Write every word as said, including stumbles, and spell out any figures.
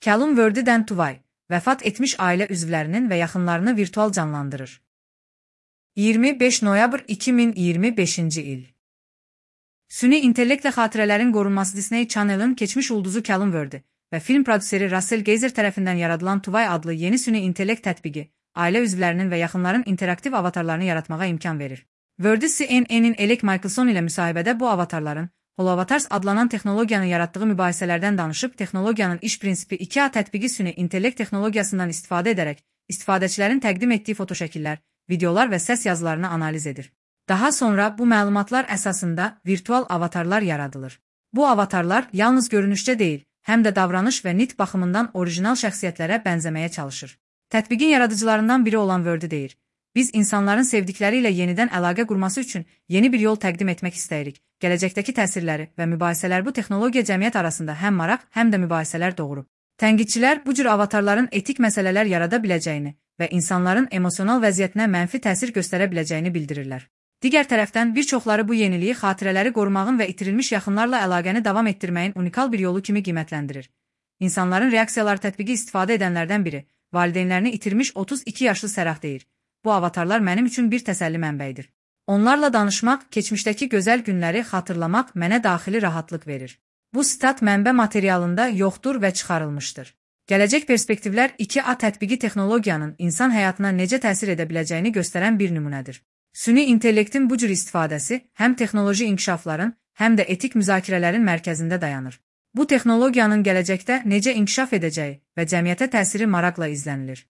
Callum Worthy Tuvay, vəfat etmiş ailə üzvlərinin və yaxınlarını virtual canlandırır. iyirmi beş noyabr iki min iyirmi beşinci il. Süni intellektlə xatirələrin qorunması Disney Channel'ın keçmiş ulduzu Callum Worthy və film prodüseri Russell Geiser tərəfindən yaradılan Tuvay adlı yeni süni intellekt tətbiqi, ailə üzvlərinin və yaxınların interaktiv avatarlarını yaratmağa imkan verir. Worthy C N N'in Alec Michelson ilə müsahibədə bu avatarların Holoavatars adlanan texnologiyanın yaratdığı mübahisələrdən danışıb, texnologiyanın iş prinsipi iki A tətbiqi süni intellekt texnologiyasından istifadə edərək, istifadəçilərin təqdim etdiyi fotoşəkillər, videolar və səs yazılarını analiz edir. Daha sonra bu məlumatlar əsasında virtual avatarlar yaradılır. Bu avatarlar yalnız görünüşdə deyil, həm də davranış və nitq baxımından orijinal şəxsiyyətlərə bənzəməyə çalışır. Tətbiqin yaradıcılarından biri olan Worthy deyir: "Biz insanların sevdikləri ilə yenidən əlaqə qurması üçün yeni bir yol təqdim etmək istəyirik. Gələcəkdəki təsirləri və mübahisələr bu texnologiya cəmiyyət arasında həm maraq, həm də mübahisələr doğurub." Tənqidçilər bu cür avatarların etik məsələlər yarada biləcəyini və insanların emosional vəziyyətinə mənfi təsir göstərə biləcəyini bildirirlər. Digər tərəfdən bir çoxları bu yeniliyi xatirələri qorumağın və itirilmiş yaxınlarla əlaqəni davam etdirməyin unikal bir yolu kimi qiymətləndirir. İnsanların reaksiyaları tətbiqi istifadə edənlərdən biri, valideynlərini itirmiş otuz iki yaşlı Sərah deyir: "Bu avatarlar mənim üçün bir təsəlli mənbəyidir. Onlarla danışmaq, keçmişdəki gözəl günləri xatırlamaq mənə daxili rahatlıq verir." Bu sitat mənbə materialında yoxdur və çıxarılmışdır. Gələcək perspektivlər iki A tətbiqi texnologiyanın insan həyatına necə təsir edə biləcəyini göstərən bir nümunədir. Süni intellektin bu cür istifadəsi həm texnoloji inkişafların, həm də etik müzakirələrin mərkəzində dayanır. Bu texnologiyanın gələcəkdə necə inkişaf edəcəyi və cəmiyyətə təsiri maraqla izlənilir.